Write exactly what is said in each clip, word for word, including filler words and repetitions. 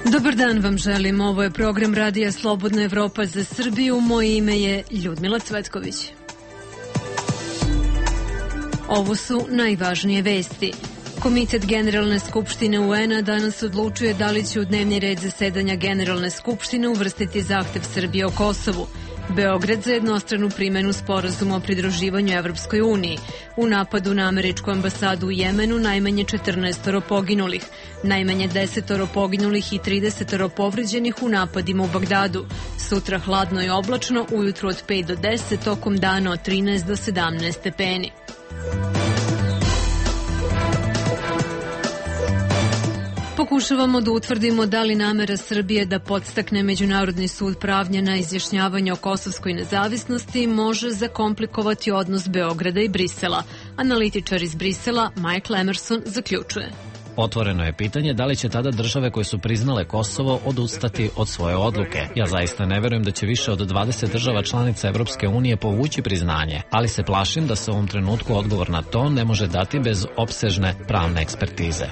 Dobar dan vam želim, ovo je program Radija Slobodna Evropa za Srbiju, moje ime je Ljudmila Cvetković. Ovo su najvažnije vesti. Komitet Generalne skupštine U N-a danas odlučuje da li će u dnevni red zasedanja Generalne skupštine uvrstiti zahtev Srbije o Kosovu. Beograd za jednostranu primenu sporazuma o pridruživanju Evropskoj uniji. U napadu na američku ambasadu u Jemenu najmanje četrnaestoro poginulih, najmanje desetoro poginulih i tridesetoro povređenih u napadima u Bagdadu. Sutra hladno i oblačno, ujutru od pet do deset, tokom dana od trinaest do sedamnaest stepeni. Pokušavamo da utvrdimo da li namera Srbije da podstakne Međunarodni sud pravnja na izjašnjavanje o kosovskoj nezavisnosti može zakomplikovati odnos Beograda i Brisela. Analitičar iz Brisela, Michael Emerson, zaključuje. Otvoreno je pitanje da li će tada države koje su priznale Kosovo odustati od svoje odluke. Ja zaista ne verujem da će više od dvadeset država članica Evropske unije povući priznanje, ali se plašim da se u ovom trenutku odgovor na to ne može dati bez opsežne pravne ekspertize.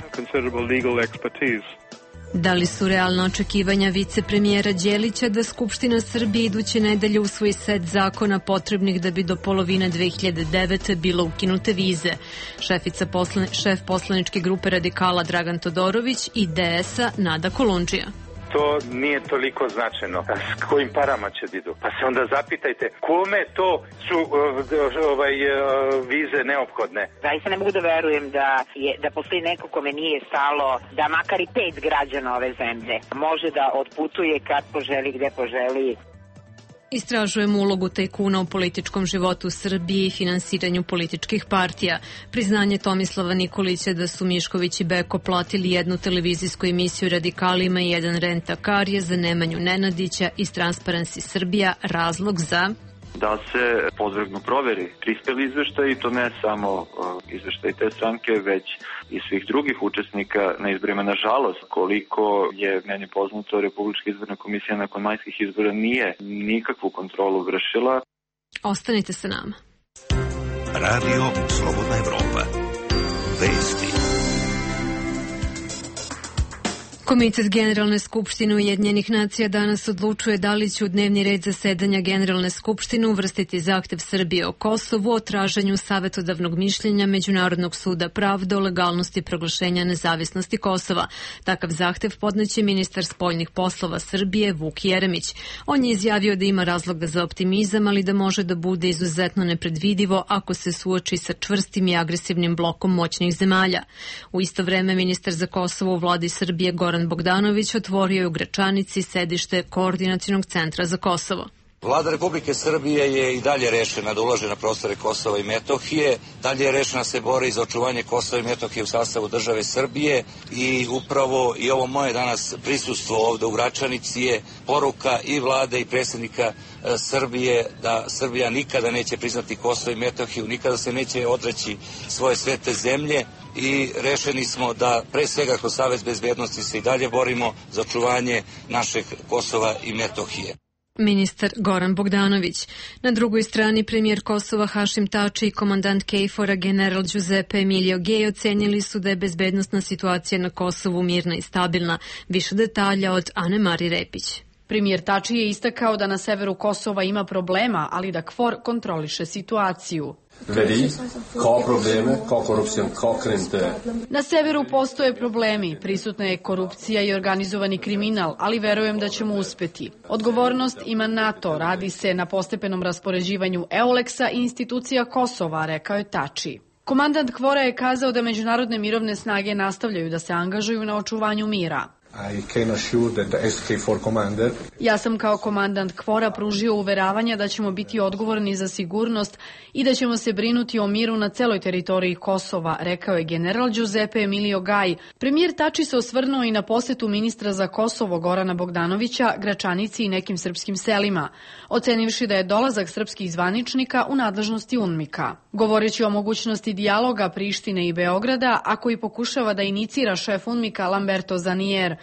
Da li su realna očekivanja vicepremijera Đelića da Skupština Srbije iduće nedelje usvoji set zakona potrebnih da bi do polovine dve hiljade devete bilo ukinute vize? Šefica poslan, šef poslaničke grupe radikala Dragan Todorović i D S-a Nada Kolundžija. To nije toliko značajno. S kojim parama će da idu? Pa se onda zapitajte kome to su ovaj, vize neophodne. Zaista ne mogu da verujem da, je, da postoji neko kome nije stalo da makar i pet građana ove zemlje može da otputuje kad poželi, gde poželi. Istražujemo ulogu tajkuna u političkom životu Srbije i finansiranju političkih partija. Priznanje Tomislava Nikolića da su Mišković i Beko platili jednu televizijsku emisiju radikalima i jedan rent-a-kar je za Nemanju Nenadića iz Transparency Srbija razlog za... da se podvrgnu proveri prispeli izveštaj i to ne samo uh, izveštaj te stranke, već i svih drugih učesnika na izborima. Nažalost, koliko je meni poznato, Republička izborna komisija nakon majskih izbora nije nikakvu kontrolu vršila. Ostanite sa nama. Radio Slobodna Evropa. Vesti. Komitet Generalne skupštine Ujedinjenih nacija danas odlučuje da li će u dnevni red zasedanja Generalne skupštine uvrstiti zahtev Srbije o Kosovu o traženju savetodavnog mišljenja Međunarodnog suda pravde o legalnosti proglašenja nezavisnosti Kosova. Takav zahtev podneće ministar spoljnih poslova Srbije Vuk Jeremić. On je izjavio da ima razloga za optimizam, ali da može da bude izuzetno nepredvidivo ako se suoči sa čvrstim i agresivnim blokom moćnih zemalja. U isto vreme ministar za Kosovo u vladi Srbije Goran Bogdanović otvorio je u Gračanici sedište Koordinacionog centra za Kosovo. Vlada Republike Srbije je i dalje rešena da ulaže na prostore Kosova i Metohije, dalje je rešena se bori za očuvanje Kosova i Metohije u sastavu države Srbije i upravo i ovo moje danas prisustvo ovde u Gračanici je poruka i vlade i predsjednika Srbije da Srbija nikada neće priznati Kosovo i Metohiju, nikada se neće odreći svoje svete zemlje i rešeni smo da pre svega kroz Savez bezbednosti se i dalje borimo za očuvanje našeg Kosova i Metohije. Ministar Goran Bogdanović. Na drugoj strani premijer Kosova Hašim Tači i komandant KFOR-a general Giuseppe Emilio Gej ocenili su da je bezbednosna situacija na Kosovu mirna i stabilna. Više detalja od Ane Mari Repić. Premijer Tači je istakao da na severu Kosova ima problema, ali da KFOR kontroliše situaciju. Vedi, kao probleme, kao korupcijom, kao krente. Na severu postoje problemi, prisutna je korupcija i organizovani kriminal, ali verujem da ćemo uspeti. Odgovornost ima NATO, radi se na postepenom raspoređivanju EULEX-a i institucija Kosova, rekao je Tači. Komandant KFOR-a je kazao da međunarodne mirovne snage nastavljaju da se angažuju na očuvanju mira. I can assure that the S K four commander... Ja sam kao komandant KFOR-a pružio uveravanja da ćemo biti odgovorni za sigurnost i da ćemo se brinuti o miru na celoj teritoriji Kosova, rekao je general Giuseppe Emilio Gaj. Premijer Tači se osvrnuo i na posetu ministra za Kosovo Gorana Bogdanovića, Gračanici i nekim srpskim selima, ocenivši da je dolazak srpskih zvaničnika u nadležnosti UNMIK-a. Govoreći o mogućnosti dijaloga Prištine i Beograda, a koji pokušava da inicira šef UNMIK-a Lamberto Zanier,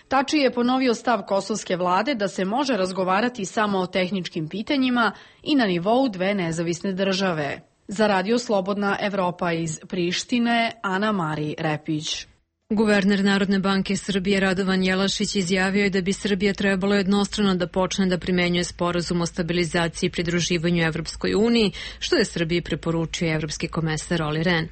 Tači je ponovio stav kosovske vlade da se može razgovarati samo o tehničkim pitanjima i na nivou dve nezavisne države. Za Radio Slobodna Evropa iz Prištine, Ana Mari Repić. Guverner Narodne banke Srbije Radovan Jelašić izjavio je da bi Srbija trebalo jednostrano da počne da primenjuje sporazum o stabilizaciji i pridruživanju Evropskoj uniji, što je Srbiji preporučio evropski komesar Olli Rehn.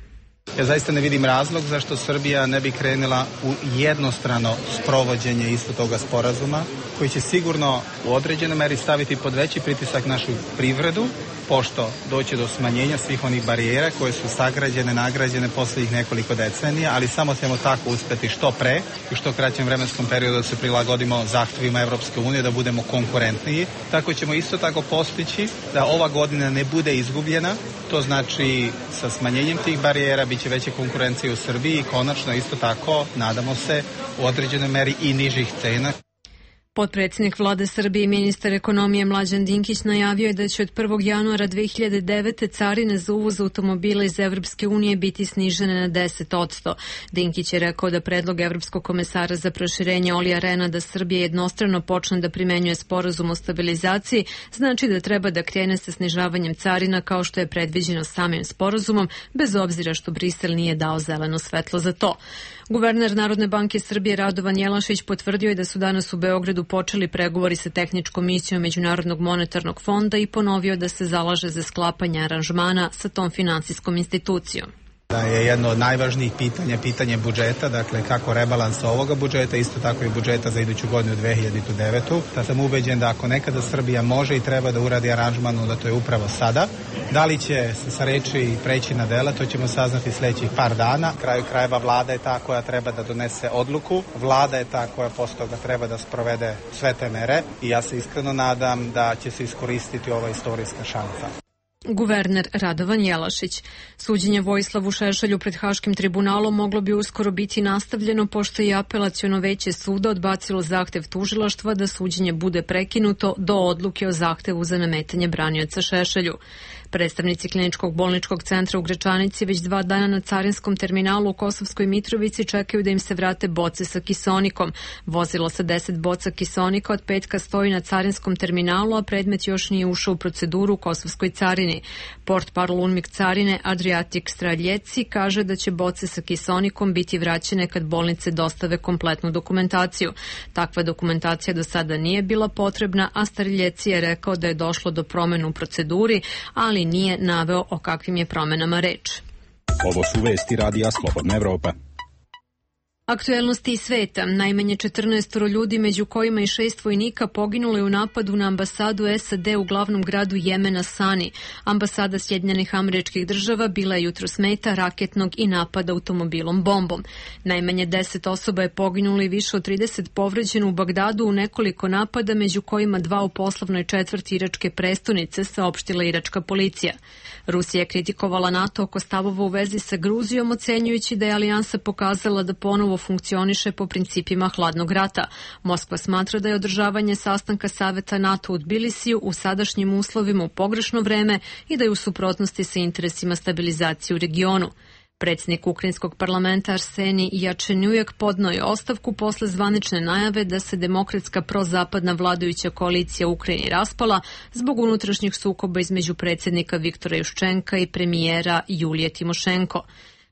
Ja zaista ne vidim razlog zašto Srbija ne bi krenula u jednostrano sprovođenje isto toga sporazuma, koji će sigurno u određenoj meri staviti pod veći pritisak našu privredu, pošto doće do smanjenja svih onih barijera koje su sagrađene, nagrađene poslednjih nekoliko decenija, ali samo ćemo tako uspeti što pre i što kraćem vremenskom periodu da se prilagodimo zahtevima Evropske unije, da budemo konkurentniji. Tako ćemo isto tako postići da ova godina ne bude izgubljena, to znači sa smanjenjem tih barijera biće veće konkurencije u Srbiji i konačno isto tako, nadamo se, u određenoj meri i nižih cena. Potpredsjednik vlade Srbije i ministar ekonomije Mlađan Dinkić najavio je da će od prvog januara dve hiljade devete. carine za uvoz automobila iz Evropske unije biti snižene na deset posto. Dinkić je rekao da predlog Evropskog komesara za proširenje Ollija Rehna da Srbija jednostrano počne da primenjuje sporazum o stabilizaciji znači da treba da krene sa snižavanjem carina kao što je predviđeno samim sporazumom, bez obzira što Brisel nije dao zeleno svetlo za to. Guverner Narodne banke Srbije Radovan Jelašić potvrdio je da su danas u Beogradu počeli pregovori sa tehničkom misijom Međunarodnog monetarnog fonda i ponovio da se zalaže za sklapanje aranžmana sa tom finansijskom institucijom. Da je jedno od najvažnijih pitanja pitanje budžeta, dakle kako rebalansa ovoga budžeta, isto tako i budžeta za iduću godinu dve hiljade devetu. Da sam ubeđen da ako nekada Srbija može i treba da uradi aranžman, da to je upravo sada. Da li će se sa reči preći na dela, to ćemo saznati sledećih par dana. Kraju krajeva vlada je ta koja treba da donese odluku, vlada je ta koja posle toga treba da sprovede sve te mere i ja se iskreno nadam da će se iskoristiti ova istorijska šansa. Guverner Radovan Jelašić. Suđenje Vojislavu Šešelju pred Haškim tribunalom moglo bi uskoro biti nastavljeno pošto je apelaciono veće suda odbacilo zahtev tužilaštva da suđenje bude prekinuto do odluke o zahtevu za nametanje branioca Šešelju. Predstavnici Kliničkog bolničkog centra u Gračanici već dva dana na carinskom terminalu u Kosovskoj Mitrovici čekaju da im se vrate boce sa kisonikom. Vozilo sa deset boca kisonika od petka stoji na carinskom terminalu, a predmet još nije ušao u proceduru u Kosovskoj carini. Portparol Unmik carine Adriatik Straljeci kaže da će boce sa kisonikom biti vraćene kad bolnice dostave kompletnu dokumentaciju. Takva dokumentacija do sada nije bila potrebna, a Straljeci je rekao da je došlo do promena u proceduri, ali nije naveo o kakvim je promenama reč. Ovo su vesti Radija Slobodna Evropa. Aktuelnosti iz sveta. Najmanje četrnaest ljudi, među kojima i šest vojnika, poginulo je u napadu na ambasadu S A D u glavnom gradu Jemena Sani. Ambasada Sjedinjenih Američkih Država bila je jutros meta raketnog i napada automobilom bombom. Najmanje deset osoba je poginulo i više od trideset povređeno u Bagdadu u nekoliko napada, među kojima dva u poslovnoj četvrti iračke prestonice, saopštila iračka policija. Rusija je kritikovala NATO oko stavova u vezi sa Gruzijom, ocenjujući da je alijansa pokazala da ponovo funkcioniše po principima hladnog rata. Moskva smatra da je održavanje sastanka Saveta NATO u Tbilisiju u sadašnjim uslovima u pogrešno vreme i da je u suprotnosti sa interesima stabilizacije u regionu. Predsjednik Ukrajinskog parlamenta Arsenij Jačenjujak podneo je ostavku posle zvanične najave da se demokratska prozapadna vladajuća koalicija u Ukrajini raspala zbog unutrašnjih sukoba između predsjednika Viktora Juščenka i premijera Julije Timošenko.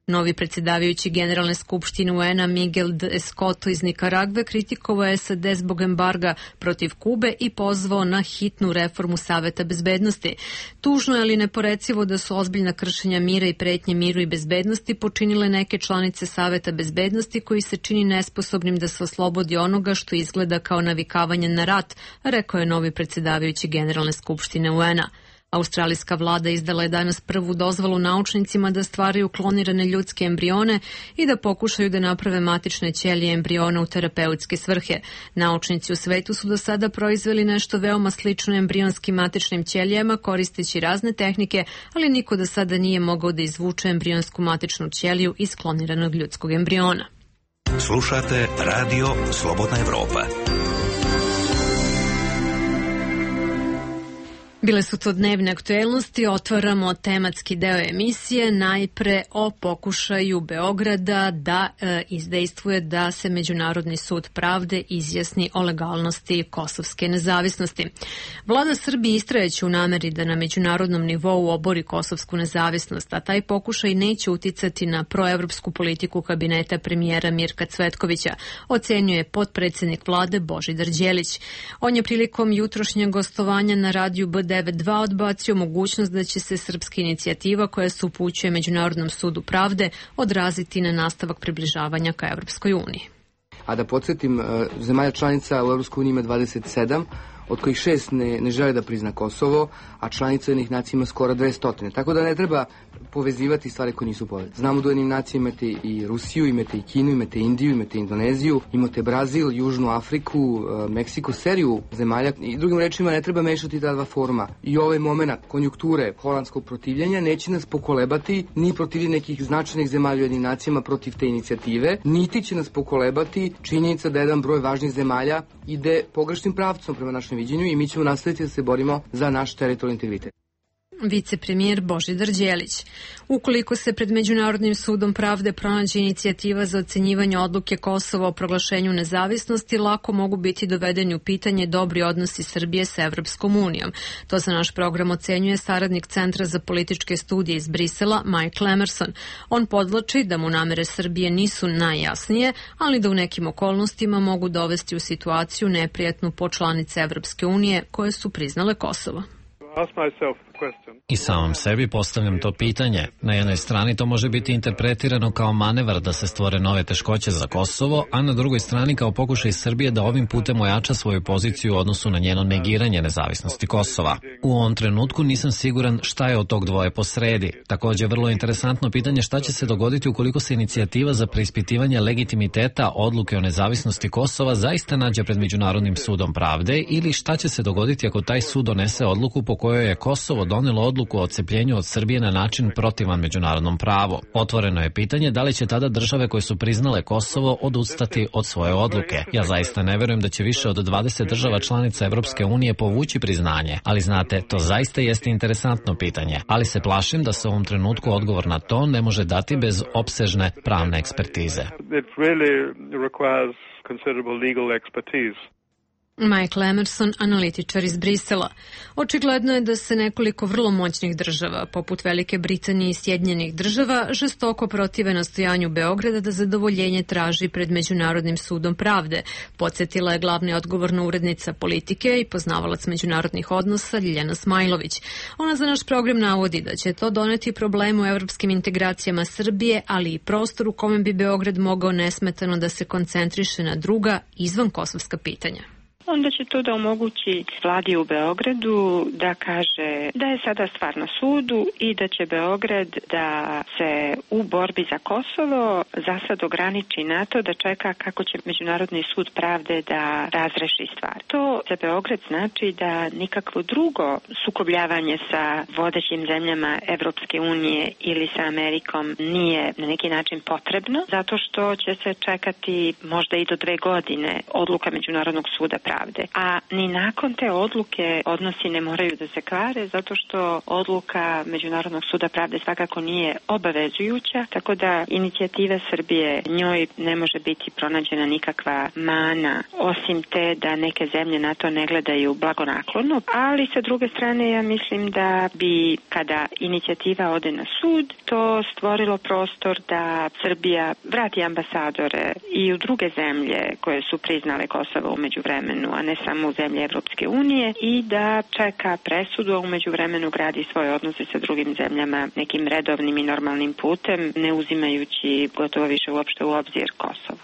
Novi predsjedavajući Generalne skupštine U N-a Miguel de Escoto iz Nikaragve kritikovao je S A D zbog embarga protiv Kube i pozvao na hitnu reformu Saveta bezbednosti. Tužno je ali neporecivo da su ozbiljna kršenja mira i pretnje miru i bezbednosti počinile neke članice Saveta bezbednosti koji se čini nesposobnim da se oslobodi onoga što izgleda kao navikavanje na rat, rekao je novi predsjedavajući Generalne skupštine U N-a. Australijska vlada izdala je danas prvu dozvolu naučnicima da stvaraju klonirane ljudske embrione i da pokušaju da naprave matične ćelije embriona u terapeutske svrhe. Naučnici u svetu su do sada proizveli nešto veoma slično embrionskim matičnim ćelijama koristeći razne tehnike, ali niko do sada nije mogao da izvuče embrionsku matičnu ćeliju iz kloniranog ljudskog embriona. Slušate Radio Slobodna Evropa. Bile su to dnevne aktuelnosti, otvaramo tematski deo emisije, najpre o pokušaju Beograda da e, izdejstvuje da se Međunarodni sud pravde izjasni o legalnosti kosovske nezavisnosti. Vlada Srbije istrajeće u nameri da na međunarodnom nivou obori kosovsku nezavisnost, a taj pokušaj neće uticati na proevropsku politiku kabineta premijera Mirka Cvetkovića, ocenjuje potpredsednik vlade Božidar Đelić. On je prilikom jutrošnjeg gostovanja na radiju B devedeset dva odbacio mogućnost da će se srpska inicijativa koja se upućuje Međunarodnom sudu pravde odraziti na nastavak približavanja ka Evropskoj uniji. A da podsjetim, zemalja članica u Evropskoj uniji ima dvadeset sedam, od kojih šest ne, ne žele da prizna Kosovo, a članica Ujedinjenih nacija ima skoro dvesta. Tako da ne treba povezivati stvari koje nisu povezane. Znamo da u Ujedinjenim nacija imate i Rusiju, imate i Kinu, imate Indiju, imate Indoneziju, imate Brazil, Južnu Afriku, Meksiko, seriju zemalja. I drugim rečima ne treba mešati ta dva foruma. I ovaj moment konjunkture holandskog protivljenja neće nas pokolebati ni protiv nekih značajnih zemalja u Ujedinjenim nacijama protiv te inicijative, niti će nas pokolebati činjenica da jedan broj važnih zemalja ide pogrešnim pravcom prema našem viđenju i mi ćemo nastaviti da se borimo za naš teritorijalni integritet. Vicepremijer Božidar Đelić. Ukoliko se pred Međunarodnim sudom pravde pronađe inicijativa za ocenjivanje odluke Kosova o proglašenju nezavisnosti, lako mogu biti dovedeni u pitanje dobri odnosi Srbije sa Evropskom unijom. To za naš program ocenjuje saradnik Centra za političke studije iz Brisela, Michael Emerson. On podvlači da mu namere Srbije nisu najjasnije, ali da u nekim okolnostima mogu dovesti u situaciju neprijatnu po članice Evropske unije koje su priznale Kosovo. I samom sebi postavljam to pitanje. Na jednoj strani to može biti interpretirano kao manevar da se stvore nove teškoće za Kosovo, a na drugoj strani kao pokušaj Srbije da ovim putem ojača svoju poziciju u odnosu na njeno negiranje nezavisnosti Kosova. U ovom trenutku nisam siguran šta je od tog dvoje posredi. Također vrlo interesantno pitanje šta će se dogoditi ukoliko se inicijativa za preispitivanje legitimiteta odluke o nezavisnosti Kosova zaista nađe pred Međunarodnim sudom pravde ili šta će se dogoditi ako taj sud donese odluku po kojoj je Kosovo donelo odluku o odcepljenju od Srbije na način protivan međunarodnom pravu. Otvoreno je pitanje da li će tada države koje su priznale Kosovo odustati od svoje odluke. Ja zaista ne verujem da će više od dvadeset država članica Evropske unije povući priznanje, ali znate, to zaista jeste interesantno pitanje, ali se plašim da se u ovom trenutku odgovor na to ne može dati bez opsežne pravne ekspertize. Michael Emerson, analitičar iz Brisela. Očigledno je da se nekoliko vrlo moćnih država, poput Velike Britanije i Sjedinjenih država, žestoko protive nastojanju Beograda da zadovoljenje traži pred Međunarodnim sudom pravde, podsjetila je glavni odgovorna urednica politike i poznavalac međunarodnih odnosa Ljiljana Smajlović. Ona za naš program navodi da će to doneti problem u evropskim integracijama Srbije, ali i prostor u kome bi Beograd mogao nesmetano da se koncentriše na druga izvan kosovska pitanja. Onda će to da omogući vladi u Beogradu da kaže da je sada stvar na sudu i da će Beograd da se u borbi za Kosovo za sad ograniči na to da čeka kako će Međunarodni sud pravde da razreši stvar. To za Beograd znači da nikakvo drugo sukobljavanje sa vodećim zemljama Evropske unije ili sa Amerikom nije na neki način potrebno, zato što će se čekati možda i do dve godine odluka Međunarodnog suda pravde. A ni nakon te odluke odnosi ne moraju da se kvare, zato što odluka Međunarodnog suda pravde svakako nije obavezujuća, tako da inicijativa Srbije njoj ne može biti pronađena nikakva mana, osim te da neke zemlje na to ne gledaju blagonaklono, ali sa druge strane ja mislim da bi kada inicijativa ode na sud, to stvorilo prostor da Srbija vrati ambasadore i u druge zemlje koje su priznale Kosovo u međuvremenu, a ne samo u zemlje Evropske unije, i da čeka presudu, a u međuvremenu gradi svoje odnose sa drugim zemljama nekim redovnim i normalnim putem, ne uzimajući gotovo više uopšte u obzir Kosovo.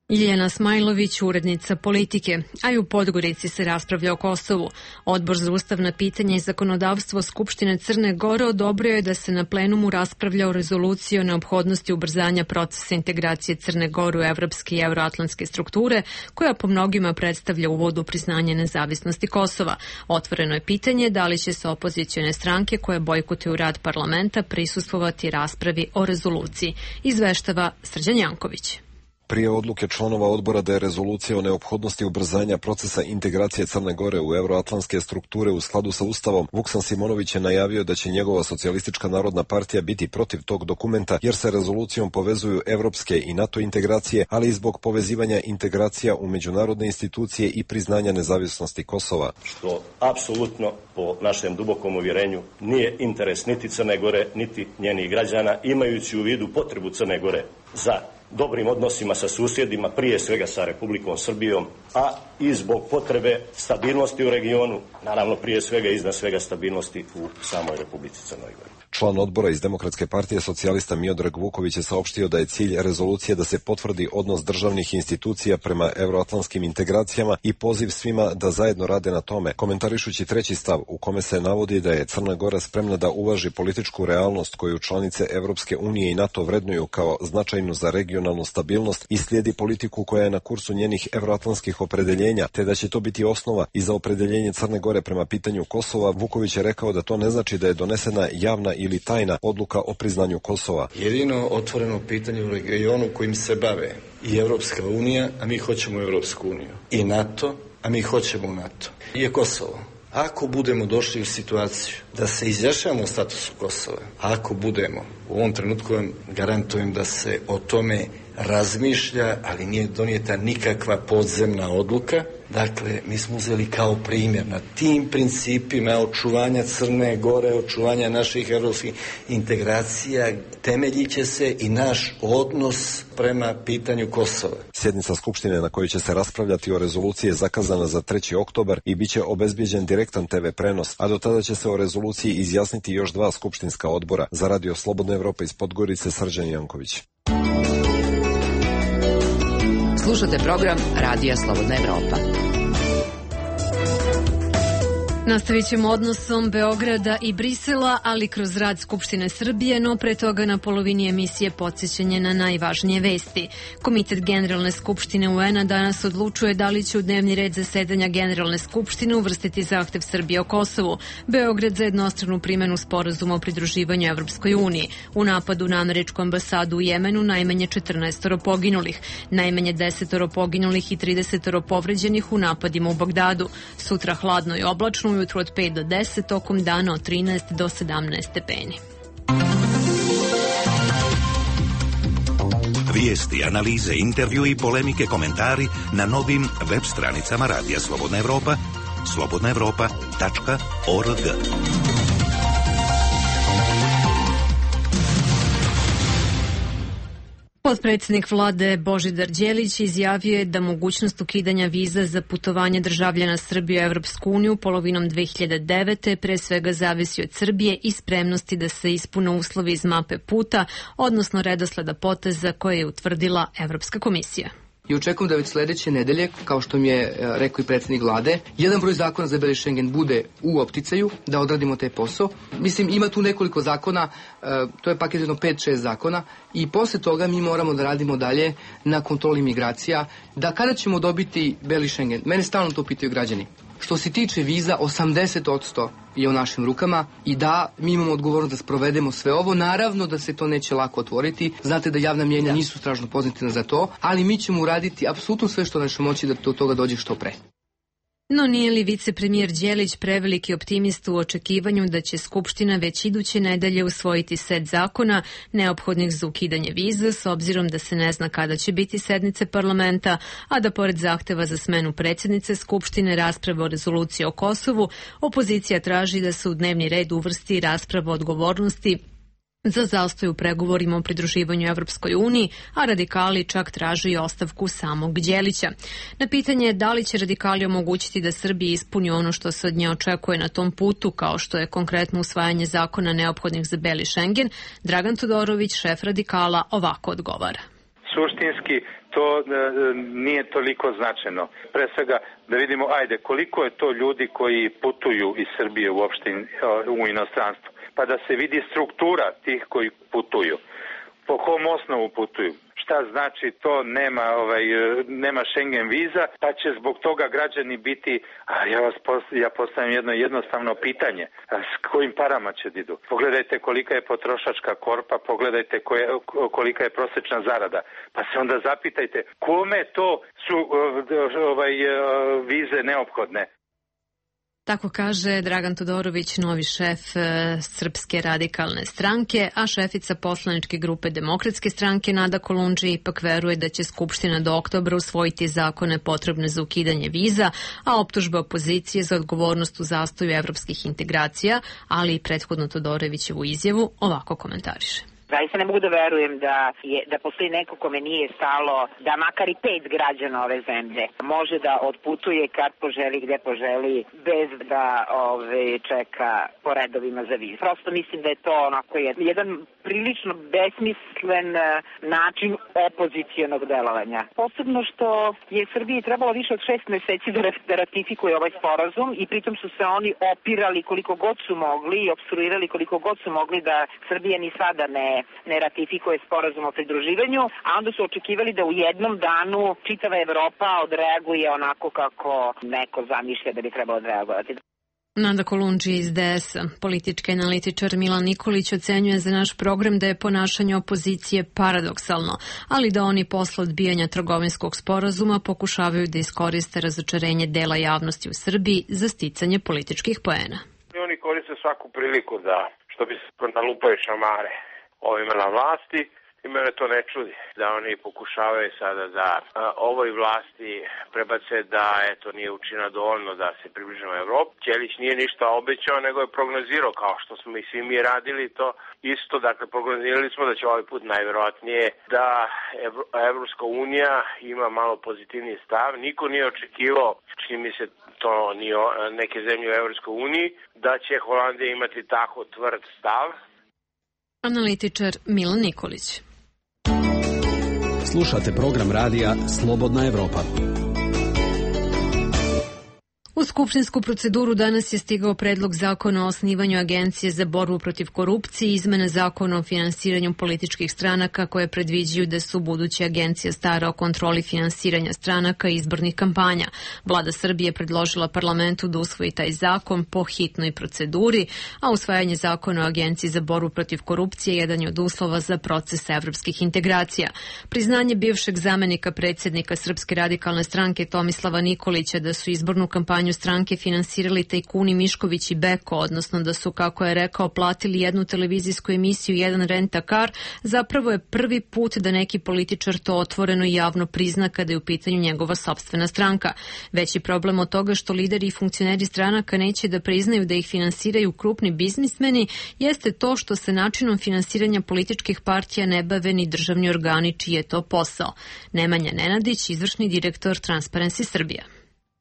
Ljiljana Smajlović, urednica politike, a i u Podgorici se raspravlja o Kosovu. Odbor za ustavna pitanja i zakonodavstvo Skupštine Crne Gore odobrio je da se na plenumu raspravlja o rezoluciji o neophodnosti ubrzanja procesa integracije Crne Gore u evropske i euroatlantske strukture, koja po mnogima predstavlja uvod u priznanje nezavisnosti Kosova. Otvoreno je pitanje da li će se opozicione stranke koje bojkotuju rad parlamenta prisustvovati raspravi o rezoluciji, izveštava Srđan Janković. Prije odluke članova odbora da je rezolucija o neophodnosti ubrzanja procesa integracije Crne Gore u euroatlantske strukture u skladu sa Ustavom, Vuksan Simonović je najavio da će njegova Socijalistička narodna partija biti protiv tog dokumenta jer se rezolucijom povezuju evropske i NATO integracije, ali i zbog povezivanja integracija u međunarodne institucije i priznanja nezavisnosti Kosova. Što apsolutno, po našem dubokom uvjerenju, nije interes niti Crne Gore, niti njenih građana, imajući u vidu potrebu Crne Gore za dobrim odnosima sa susjedima, prije svega sa Republikom Srbijom, a i zbog potrebe stabilnosti u regionu, naravno prije svega i iznad svega stabilnosti u samoj Republici Crnoj Gori. Član odbora iz Demokratske partije socijalista Miodrag Vuković je saopštio da je cilj rezolucije da se potvrdi odnos državnih institucija prema euroatlantskim integracijama i poziv svima da zajedno rade na tome, komentarišući treći stav u kome se navodi da je Crna Gora spremna da uvaži političku realnost koju članice Evropske unije i NATO vrednuju kao značajnu za regionalnu stabilnost i slijedi politiku koja je na kursu njenih euroatlantskih opredeljenja, te da će to biti osnova i za opredeljenje Crne Gore prema pitanju Kosova. Vuković je rekao da to ne znači da je donesena javna ili tajna odluka o priznanju Kosova. Jedino otvoreno pitanje u regionu kojim se bave i Evropska unija, a mi hoćemo Evropsku uniju, i NATO, a mi hoćemo NATO, je Kosovo. Ako budemo došli u situaciju da se izjašnjavamo o statusu Kosova, ako budemo, u ovom trenutku vam garantujem da se o tome razmišlja, ali nije donijeta nikakva podzemna odluka. Dakle, mi smo uzeli kao primjer na tim principima očuvanja Crne Gore, očuvanja naših evropskih integracija, temeljit će se i naš odnos prema pitanju Kosova. Sjednica Skupštine na kojoj će se raspravljati o rezoluciji je zakazana za treći oktobar i bit će obezbijeđen direktan te ve prenos, a do tada će se o rezoluciji izjasniti još dva skupštinska odbora. Za Radio Slobodna Evropa iz Podgorice, Srđan Janković. Slušate program Radija Slobodna Evropa. Nastavit ćemo odnosom Beograda i Brisela, ali kroz rad Skupštine Srbije, no pre toga na polovini emisije podsjećanje na najvažnije vesti. Komitet Generalne skupštine U N-a danas odlučuje da li će u dnevni red zasedanja Generalne skupštine uvrstiti zahtev Srbije o Kosovu. Beograd za jednostranu primjenu sporazuma o pridruživanju Evropskoj uniji. U napadu na američku ambasadu u Jemenu najmanje četrnaestoro poginulih, najmanje desetoro poginulih i tridesetoro povređenih u napadima u Bagdadu. Sutra hladno i oblačno, ujutru od pet do deset, tokom dana od trinaest do sedamnaest stepeni. Vijesti, analize, intervju i polemike, komentari na novim web stranicama Radija Slobodna Evropa, slobodna evropa tačka org. Potpredsjednik vlade Božidar Đelić izjavio je da mogućnost ukidanja viza za putovanje državljana Srbije u Evropsku uniju polovinom dve hiljade devete pre svega zavisi od Srbije i spremnosti da se ispune uslovi iz mape puta, odnosno redosleda poteza koje je utvrdila Evropska komisija. I očekujem da već sledeće nedelje, kao što mi je rekao i predsjednik vlade, jedan broj zakona za Beli Schengen bude u opticaju, da odradimo taj posao. Mislim, ima tu nekoliko zakona, to je paket jedno pet šest zakona, i posle toga mi moramo da radimo dalje na kontroli migracija, da kada ćemo dobiti Beli Schengen, mene stalno to pitaju građani. Što se tiče viza, osamdeset posto je u našim rukama i da, mi imamo odgovornost da sprovedemo sve ovo. Naravno da se to neće lako otvoriti. Znate da javna mjenja nisu strašno pozitivna za to, ali mi ćemo uraditi apsolutno sve što naše moći da do toga dođe što pre. No nije li vicepremijer Đelić preveliki optimist u očekivanju da će Skupština već iduće nedelje usvojiti set zakona neophodnih za ukidanje viza, s obzirom da se ne zna kada će biti sednice parlamenta, a da pored zahteva za smenu predsjednice Skupštine rasprave o rezoluciji o Kosovu, opozicija traži da se u dnevni red uvrsti rasprava o odgovornosti za zastoj u pregovorima o pridruživanju Evropskoj uniji, a radikali čak traže i ostavku samog Đelića. Na pitanje da li će radikali omogućiti da Srbiji ispuni ono što se od nje očekuje na tom putu, kao što je konkretno usvajanje zakona neophodnih za Beli Schengen, Dragan Todorović, šef radikala, ovako odgovara. Suštinski to e, nije toliko značajno. Pre svega da vidimo, ajde, koliko je to ljudi koji putuju iz Srbije uopšte u inostranstvo, pa da se vidi struktura tih koji putuju. Po kom osnovu putuju? šta znači to nema ovaj nema Schengen viza, pa će zbog toga građani biti, a ja vas postavljam, ja postavljam jedno jednostavno pitanje, a s kojim parama će da idu? Pogledajte kolika je potrošačka korpa, pogledajte koje, kolika je prosječna zarada, pa se onda zapitajte kome to su ovaj vize neophodne. Tako kaže Dragan Todorović, novi šef Srpske radikalne stranke, a šefica poslaničke grupe Demokratske stranke Nada Kolundži ipak veruje da će Skupština do oktobra usvojiti zakone potrebne za ukidanje viza, a optužbe opozicije za odgovornost u zastoju evropskih integracija, ali i prethodno Todorovićevu izjavu ovako komentariše. Zaista ne mogu da verujem da je da postoji neko kome nije stalo da makar i pet građana ove zemlje može da odputuje kad poželi, gde poželi, bez da ove, čeka po redovima za vizu. Prosto mislim da je to onako jedan prilično besmislen način opozicijonog delovanja. Posebno što je Srbiji trebalo više od šest meseci da ratifikuje ovaj sporazum i pritom su se oni opirali koliko god su mogli i obstruirali koliko god su mogli da Srbija ni sada ne ne ratifikuje sporazum o pridruživanju, a onda su očekivali da u jednom danu čitava Evropa odreaguje onako kako neko zamišlja da bi trebalo odreagovati. Nada Kolundži iz D S-a. Politički analitičar Milan Nikolić ocenjuje za naš program da je ponašanje opozicije paradoksalno, ali da oni posle odbijanja trgovinskog sporazuma pokušavaju da iskoriste razočarenje dela javnosti u Srbiji za sticanje političkih poena. Oni koriste svaku priliku da, što bi se nalupaju šamare ovima na vlasti i mene to ne čudi da oni pokušavaju sada da a, ovoj vlasti prebace da eto nije učinila dovoljno da se približimo Evropi. Ćelić nije ništa obećao, nego je prognozirao kao što smo i svi mi radili to isto, dakle prognozirali smo da će ovaj put najverovatnije da Evropska unija ima malo pozitivniji stav. Niko nije očekivao, čini mi se to ni neke zemlje u Evropskoj uniji, da će Holandija imati tako tvrd stav. Analitičar Milan Nikolić. Slušate program radija Slobodna Evropa. U skupštinsku proceduru danas je stigao predlog zakona o osnivanju Agencije za borbu protiv korupcije i izmene zakona o finansiranju političkih stranaka koje predviđaju da su buduća agencija stara o kontroli finansiranja stranaka i izbornih kampanja. Vlada Srbije predložila parlamentu da usvoji taj zakon po hitnoj proceduri, a usvajanje zakona o Agenciji za borbu protiv korupcije jedan je od uslova za proces evropskih integracija. Priznanje bivšeg zamenika predsjednika Srpske radikalne stranke Tomislava Nikolića da su izbornu kampanju stranke finansirali tajkuni Mišković i Beko, odnosno da su, kako je rekao, platili jednu televizijsku emisiju i jedan rent-a-car, zapravo je prvi put da neki političar to otvoreno i javno prizna kada je u pitanju njegova sopstvena stranka. Veći problem od toga što lideri i funkcioneri stranaka neće da priznaju da ih finansiraju krupni biznismeni jeste to što se načinom finansiranja političkih partija ne bave ni državni organi čiji je to posao. Nemanja Nenadić, izvršni direktor Transparency Srbija.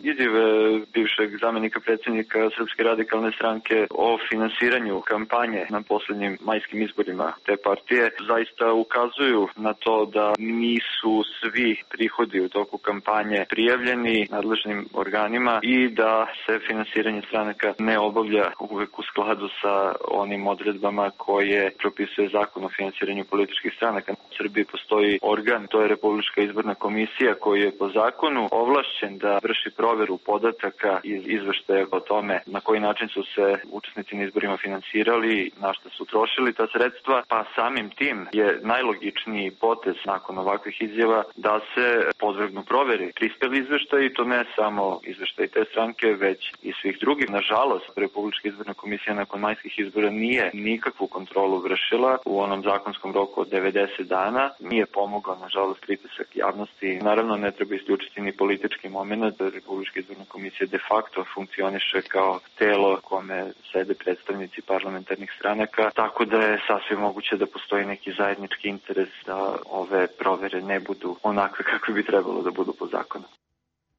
Izjave bivšeg zamenika predsjednika Srpske radikalne stranke o finansiranju kampanje na posljednjim majskim izborima te partije zaista ukazuju na to da nisu svi prihodi u toku kampanje prijavljeni nadležnim organima i da se finansiranje stranaka ne obavlja uvek u skladu sa onim odredbama koje propisuje zakon o finansiranju političkih stranaka. U Srbiji postoji organ, to je Republička izborna komisija koji je po zakonu ovlašćen da vrši proveru podataka iz izveštaja o tome na koji način su se učesnici na izborima finansirali, na što su trošili ta sredstva, pa samim tim je najlogičniji potez nakon ovakvih izjava da se podvrgnu proveri prispeli izveštaj i to ne samo izveštaj te stranke, već i svih drugih. Nažalost, Republička izborna komisija nakon majskih izbora nije nikakvu kontrolu vršila u onom zakonskom roku od devedeset dana, nije pomogao, nažalost, pritisak javnosti. Naravno, ne treba isključiti ni politički moment, da Republička izborna komisija de facto funkcioniše kao telo kome sede predstavnici parlamentarnih stranaka, tako da je sasvim moguće da postoji neki zajednički interes da ove provere ne budu onakve kakve bi trebalo da budu po zakonu.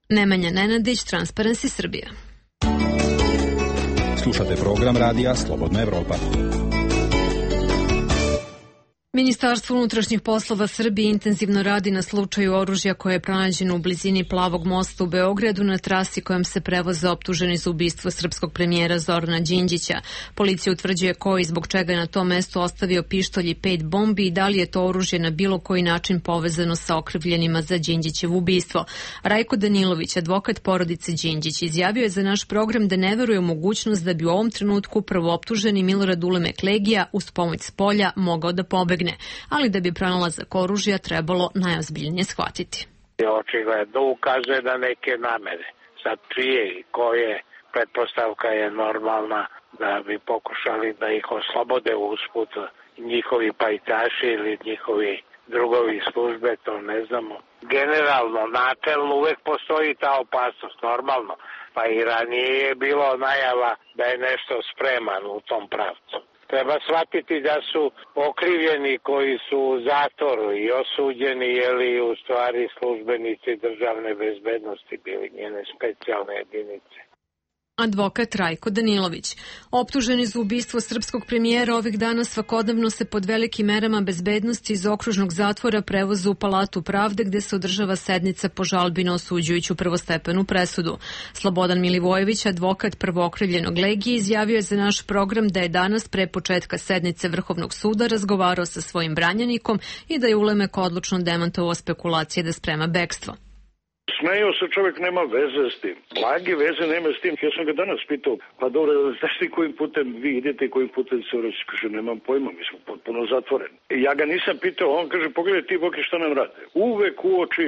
Nemanja Nenadić, Transparency Srbija. Slušate program radija Slobodna Evropa. Ministarstvo unutrašnjih poslova Srbije intenzivno radi na slučaju oružja koje je pronađeno u blizini Plavog mosta u Beogradu na trasi kojom se prevoze optuženi za ubistvo srpskog premijera Zorana Đinđića. Policija utvrđuje ko i zbog čega je na tom mestu ostavio pištolj i pet bombi i da li je to oružje na bilo koji način povezano sa okrivljenima za Đinđićevo ubistvo. Rajko Danilović, advokat porodice Đinđić, izjavio je za naš program da ne veruje u mogućnost da bi u ovom trenutku prvooptuženi Milorad Ulemek Legija uz pomoć spolja mogao da pobegne, ali da bi pronalazak oružja trebalo najozbiljnije shvatiti. Očigledno ukazuje na neke namere. Sad čije i koje, pretpostavka je normalna da bi pokušali da ih oslobode usput njihovi pajtaši ili njihovi drugovi službe, to ne znamo. Generalno, načelno uvek postoji ta opasnost, normalno. Pa i ranije je bilo najava da je nešto spreman u tom pravcu. Treba shvatiti da su okrivljeni koji su u zatvoru i osuđeni, jeli u stvari službenici državne bezbednosti bili njene specijalne jedinice. Advokat Rajko Danilović. Optuženi za ubistvo srpskog premijera ovih dana svakodnevno se pod velikim merama bezbednosti iz okružnog zatvora prevoze u Palatu pravde gde se održava sednica po žalbi na osuđujuću prvostepenu presudu. Slobodan Milivojević, advokat prvookrivljenog Legije, izjavio je za naš program da je danas pre početka sednice Vrhovnog suda razgovarao sa svojim branjenikom i da je Ulemek odlučno demantovao spekulacije da sprema bekstvo. Smejao se čovjek, nema veze s tim. Blage veze nema s tim. Ja sam ga danas pitao, pa dobro, znaš ti kojim putem vi idete i kojim putem se urazi? Kaže, nemam pojma, mi smo potpuno zatvoreni. I ja ga nisam pitao, on kaže, pogledaj ti Boki šta nam rade. Uvek uoči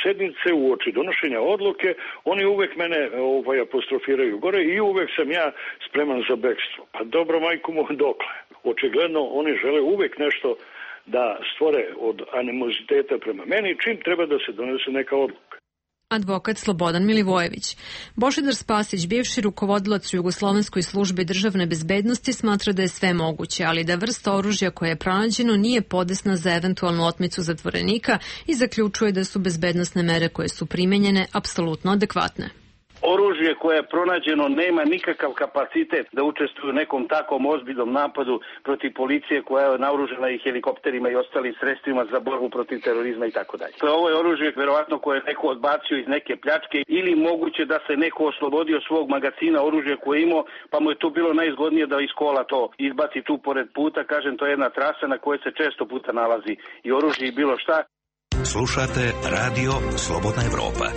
sednice, uoči donošenja odluke, oni uvek mene ovaj, apostrofiraju gore i uvek sam ja spreman za bekstvo. Pa dobro, majku mu, dokle? Očigledno, oni žele uvek nešto da stvore od animoziteta prema meni, čim treba da se donese neka odluka. Advokat Slobodan Milivojević. Božidar Spasić, bivši rukovodilac u Jugoslovenskoj službi državne bezbednosti, smatra da je sve moguće, ali da vrsta oružja koje je pronađeno nije podesna za eventualnu otmicu zatvorenika i zaključuje da su bezbednosne mere koje su primenjene apsolutno adekvatne. Oružje koje je pronađeno nema nikakav kapacitet da učestvuje u nekom takvom ozbiljnom napadu protiv policije koja je naoružana i helikopterima i ostalim sredstvima za borbu protiv terorizma i tako dalje. Ovo je oružje verovatno koje je neko odbacio iz neke pljačke ili moguće da se neko oslobodio svog magacina oružja koje je imao, pa mu je to bilo najizgodnije da iz kola to izbaci tu pored puta. Kažem, to je jedna trasa na kojoj se često puta nalazi i oružje i bilo šta. Slušate Radio Slobodna Evropa.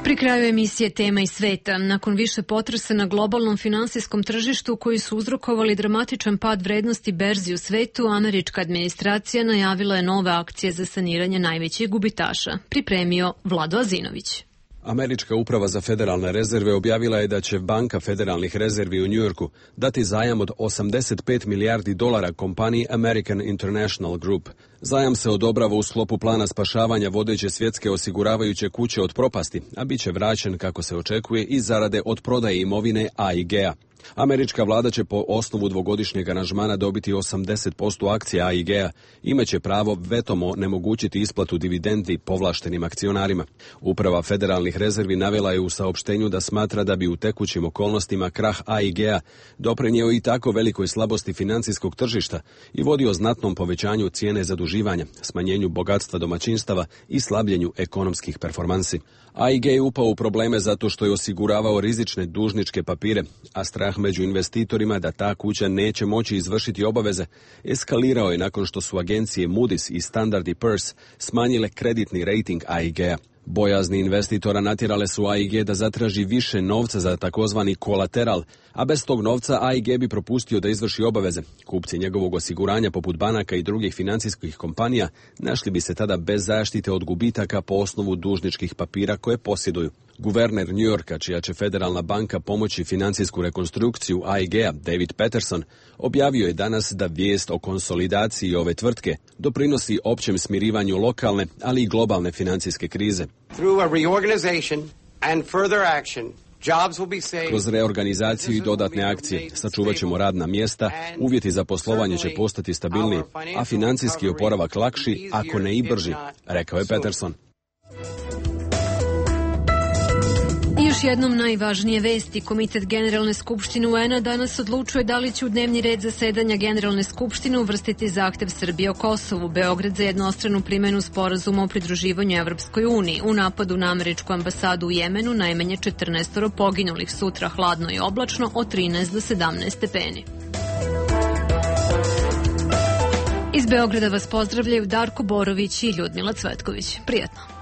Pri kraju emisije Tema i sveta, nakon više potresa na globalnom finansijskom tržištu koji su uzrokovali dramatičan pad vrednosti berzi u svetu, američka administracija najavila je nove akcije za saniranje najvećih gubitaša. Pripremio Vlado Azinović. Američka uprava za federalne rezerve objavila je da će Banka federalnih rezervi u Njujorku dati zajam od osamdeset pet milijardi dolara kompaniji American International Group. Zajam se odobrava u sklopu plana spašavanja vodeće svjetske osiguravajuće kuće od propasti, a bit će vraćen, kako se očekuje, iz zarade od prodaje imovine A I G-a. Američka vlada će po osnovu dvogodišnjeg aranžmana dobiti osamdeset posto akcija A I G-a, imaće pravo vetom onemogućiti isplatu dividendi povlaštenim akcionarima. Uprava federalnih rezervi navela je u saopštenju da smatra da bi u tekućim okolnostima krah A I G-a doprinjeo i tako velikoj slabosti financijskog tržišta i vodio znatnom povećanju cijene zaduživanja, smanjenju bogatstva domaćinstava i slabljenju ekonomskih performansi. A I G je upao u probleme zato što je osiguravao rizične dužničke papire, a strah među investitorima da ta kuća neće moći izvršiti obaveze eskalirao je nakon što su agencije Moody's i Standard and Poor's smanjile kreditni rating A I G-a. Bojazni investitora natjerale su A I G da zatraži više novca za takozvani kolateral, a bez tog novca A I G bi propustio da izvrši obaveze. Kupci njegovog osiguranja poput banaka i drugih financijskih kompanija našli bi se tada bez zaštite od gubitaka po osnovu dužničkih papira koje posjeduju. Guverner New Yorka, čija će federalna banka pomoći financijsku rekonstrukciju A I G-a, David Peterson, objavio je danas da vijest o konsolidaciji ove tvrtke doprinosi općem smirivanju lokalne, ali i globalne financijske krize. Through a reorganization and further action, kroz reorganizaciju i dodatne akcije sačuvat ćemo radna mjesta, uvjeti za poslovanje će postati stabilniji, a financijski oporavak lakši, ako ne i brži, rekao je Peterson. Još jednom najvažnije vesti. Komitet Generalne skupštine U N-a danas odlučuje da li će u dnevni red zasedanja Generalne skupštine uvrstiti zahtev Srbije o Kosovu, Beograd za jednostranu primjenu sporazuma o pridruživanju Evropskoj uniji. U napadu na američku ambasadu u Jemenu najmanje četrnaest poginulih, sutra hladno i oblačno od trinaest do sedamnaest stepeni. Iz Beograda vas pozdravljaju Darko Borović i Ljudmila Cvetković. Prijatno.